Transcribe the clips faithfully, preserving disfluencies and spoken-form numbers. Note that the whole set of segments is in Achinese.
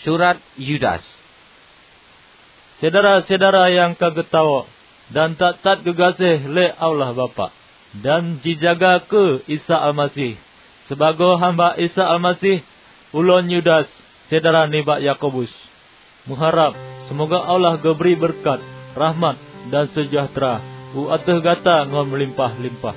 Surat Yudas. Syedara-syedara nyang ka geutawök dan that-that geugaséh lé Allah Bapak, dan jijaga keu Isa Almaseh, sibagoe hamba Isa Almaseh, ulôn Yudas, syedara nibak Yakobus, meuharab seumoga Allah geubri beureukat, rahmat, dan seujahteura u ateueh gata ngon meulimpah-limpah.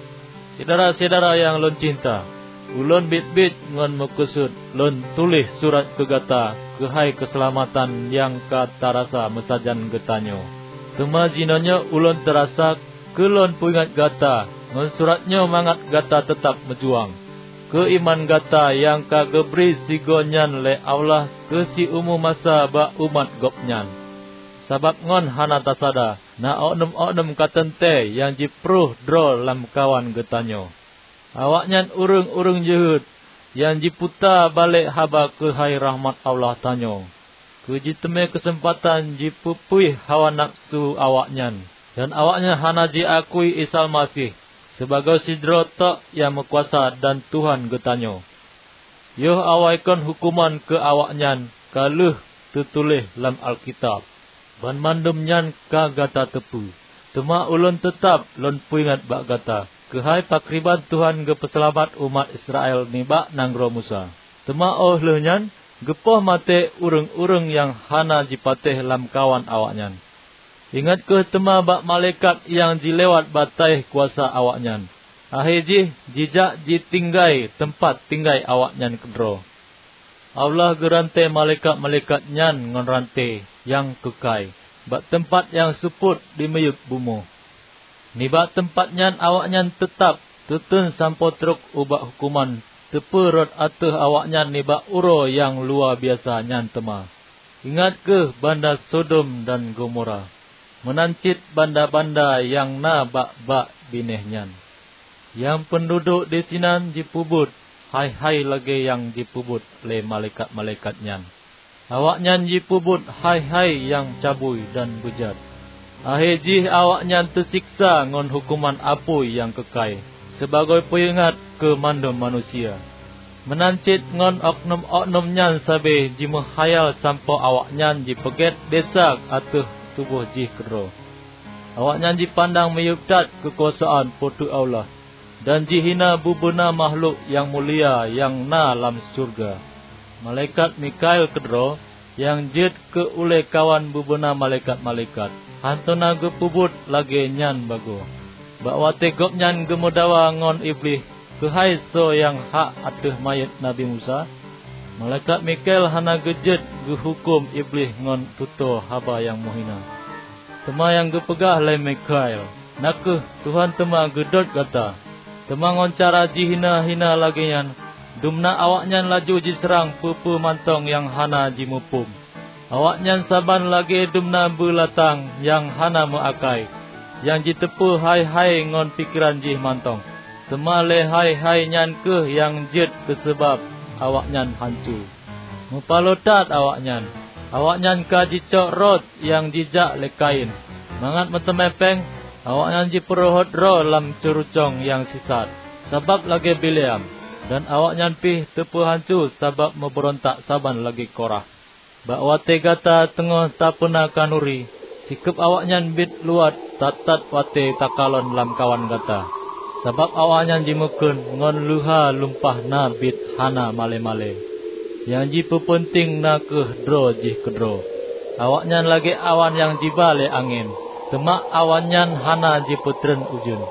Syedara-syedara nyang lôn cinta, ulôn biet-biet ngon meukeusut lôn tuléh surat keu gata keuhai keuseulamatan nyang ka tarasa meusajan geutanyoe. Teuma jinoenyoe ulôn teurasa keu lôn peuingat gata ngon surat nyoe mangat gata teutab meujuang keu iman gata nyang ka geubri sigoe nyan lé Allah keu siumu masa bak umat Gobnyan. Sabab ngon hana tasada, na oknum-oknum ka teuntée nyang jiprôh droe lamkawan geutanyoe. Awaknyan ureuëng-ureuëng jeuhet nyang jiputa balek haba keuhai rahmat Allah tanyoe, keu jiteumé keuseumpatan jipeupuih hawa nafeusu awaknyan, dan awaknyan hana jiakui Isa Almaseh sibagoe sidroe tok nyang meukuasa dan Tuhan geutanyoe. Yoh awai kon huköman keu awaknyan ka lheueh teutuléh lam Alkitab. Banmandum nyan ka gata teupeue. Teuma ulôn teutab lôn peuingat bak gata keuhai pakriban Tuhan geupeuseulamat umat Israel nibak nanggroe Musa. Teuma óh lheueh nyan geupoh maté ureuëng-ureuëng nyang hana jipatéh lamkawan awaknyan. Ingat kheueh teuma bak malaikat nyang jilewat bataih kuasa awaknyan. Akhé jih jijak jitinggai teumpat tinggai awaknyan keudroe. Allah geurantée malaikat-malaikat nyan ngon rantée nyang keukai bak teumpat nyang seupôt di miyueb bumoe. Nibak teumpat nyan awaknyan teutab teuteun sampoe trok ubak huköman teupeurot ateueh awaknyan nibak uroe nyang luwa biasa nyan teuma. Ingat kheueh banda Sodom dan Gomora, meunan cit banda-banda nyang na bak-bak binéh nyan. Nyang peunduduek disinan jipeubuet hai-hai lagée nyang jipeubuet lé malaikat-malaikat nyan. Awaknyan jipeubuet hai-hai nyang cabui dan beujat. Akhé jih awaknyan teusiksa ngon huköman apui nyang keukai, sibagoe peuingat keu mandum manusia. Meunan cit ngon oknum-oknum nyan sabe jimeuhayal sampoe awaknyan jipeugét desya ateueh tuboh jih keudroe. Awaknyan jipandang miyueb that keukuasaan Po teu Allah, dan jihina bubena makhlok nyang mulia nyang na lam syeuruga. Malaikat Mikhael keudroe nyang jeuet keu ulée kawan bubena malaikat-malaikat, hántom na geupeubuet lagée nyan bagoe. Bak watée gobnyan geumeudawa ngon Iblih keuhai soe nyang hak ateueh manyét Nabi Musa, malaikat Mikhael hana geujeuet geuhuköm Iblih ngon tutoe haba nyang meuhina. Teuma nyang geupeugah lé Mikhael, na kheueh, "Tuhan teuma geudot gata." Teuma ngon cara jihina-hina lagée nyan, dumna awaknyan laju jiseurang peue-peue mantong nyang hana jimuphom. Awaknyan saban lagée dumna beulatang nyang hana meuakai, nyang jiteupeu hai-hai ngon pikeran jih mantong. Teuma lé hai-hai nyan kheueh nyang jeuet keu seubab awaknyan hanco. Meupaloe that awaknyan. Awaknyan ka jicok rot nyang jijak lé Kain. Mangat meuteumé péng, awaknyan jipeurhot droe lam ceurucong nyang sisat, sabab lagée Bileam, dan awaknyan pih teupeuhanco sabab meubeurontak saban lagée Korah. Bak watée gata teungoh tapeuna khanuri, sikeueb awaknyan biet luwat that-that watée takalon lamkawan gata, sabab awaknyan jimeukheun ngon leuha lumpah na biet hana malée-malée. Nyang jipeupeunténg na kheueh droe jih keudroe. Awaknyan lagée awan nyang jiba lé angén, teuma awan nyan hana jipeutreun ujeuen.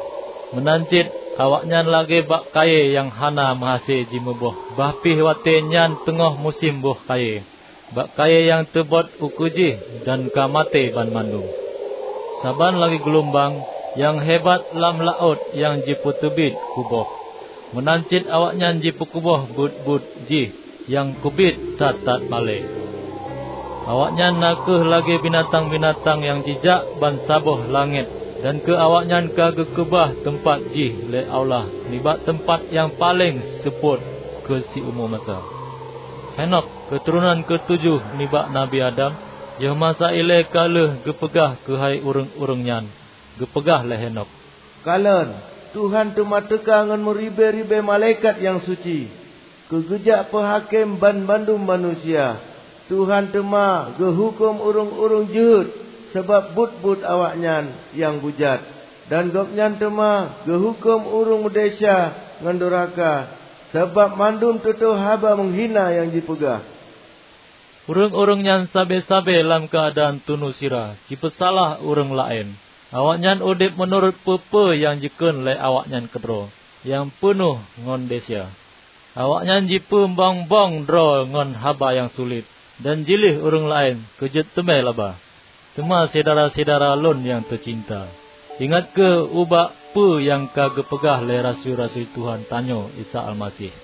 Meunan cit awaknyan lagée bak kayée nyang hana meuhase jimuboh, bah pih watée nyan teungoh musém boh kayée. Bak kayée nyang teubot ukeue jih dan ka maté banmandum. Saban lagée geulumbang nyang hebat lam laôt nyang jipeuteubiet kuboh, meunan cit awaknyan jipeukuboh buet-buet jih nyang keubiet that-that malée. Awaknyan na kheueh lagée binatang-binatang nyang jijak bansaboh langét, dan keu awaknyan ka geukeubah teumpat jih lé Allah nibak teumpat nyang paleng seupôt keu siumu masa. Henokh, keuturonan keutujoh nibak Nabi Adam, yoh masa ilée ka lheueh geupeugah keuhai ureuëng-ureuëng nyan, geupeugah lé Henokh, "Kalon, Tuhan teuma teuka ngon meuribée-ribée malaikat nyang suci, keu geujak peuhakém banmandum manusia." Tuhan teuma geuhuköm ureuëng-ureuëng jeuhet sabab buet-buet awaknyan nyang beujat, dan Gobnyan teuma geuhuköm ureuëng meudesya ngon duraka sabab mandum tutoe haba meuhina nyang jipeugah. Ureuëng-ureuëng nyan sabe-sabe lam keuadaan tunu sira jipeusalah ureuëng laén. Awaknyan udeb meunurot peue-peue nyang jikheun lé awaknyan keudroe nyang peunoh ngon desya. Awaknyan jipeumbong-bong droe ngon haba nyang sulet, dan jiléh ureuëng laén keu jeuet teumé laba. Teuma syedara-syedara lôn nyang teucinta, ingat kheueh ubak peue nyang ka geupeugah lé rasui-rasui Tuhan tanyoe Isa Almaseh.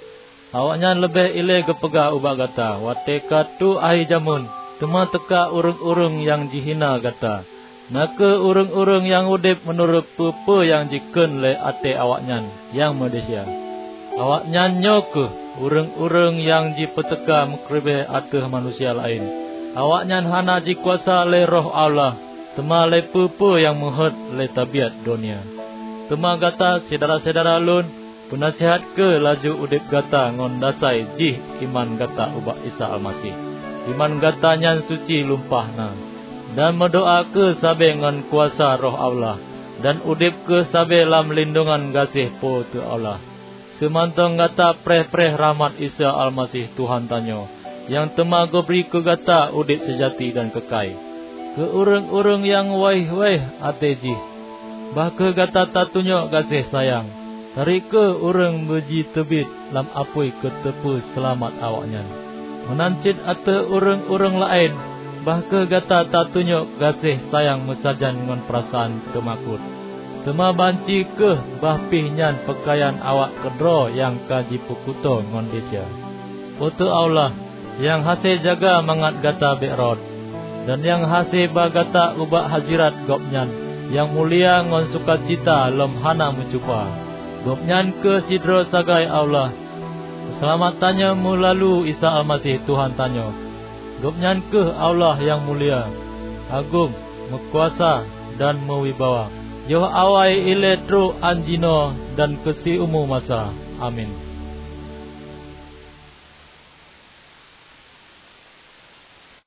Awaknyan leubeh ilée geupeugah ubak gata watée ka trok akhé jamén, teuma teuka ureuëng-ureuëng nyang jihina gata, na kheueh ureuëng-ureuëng nyang udeb meunurot peue-peue nyang jikheun lé até awaknyan nyang meudesya. Awaknyan nyoe kheueh ureuëng-ureuëng nyang jipeuteuka meukeureubeue ateueh manusia laén. Awaknyan hana jikuasa lé Roh Allah, teuma lé peue-peue nyang meuheuét lé tabiat donya. Teuma gata, syedara-syedara lôn, peunasihat kheueh laju udeb gata ngon dasai jih iman gata ubak Isa Almaseh. Iman gata nyan suci lumpah na, dan meudoá kheueh sabe ngon kuasa Roh Allah, dan udeb kheueh sabe lam lindongan gaséh Po teu Allah. Seumantong gata preh-preh rahmat Isa Almaseh Tuhan tanyoe, nyang teuma geubri keu gata udeb seujati dan keukai. Keu ureuëng-ureuëng nyang wéh-wéh até jih, bah kheueh gata tatunyok gaséh sayang. Tari kheueh ureuëng beujiteubiet lam apui keu teupeu seulamat awaknyan. Meunan cit ateueh ureuëng-ureuëng laén, bah kheueh gata tatunyok gaséh sayang meusajan ngon peurasaan teumakot. Teuma banci kheueh bah pih nyan peukayan awak keudroe nyang ka jipeukuto ngon desya. Po teu Allah, nyang hase jaga mangat gata bék rhot, dan nyang hase ba gata ubak hazirat Gobnyan nyang mulia ngon sukacita lom hana meucupa. Gobnyan kheueh sidroe sagai Allah, Peuseulamat tanyoe meulalu Isa Almaseh Tuhan tanyoe. Gobnyan kheueh Allah nyang mulia, agong, meukuasa, dan meuwibawa, yoh awai ilée trok án jinoe dan keu siumu masa. Amin.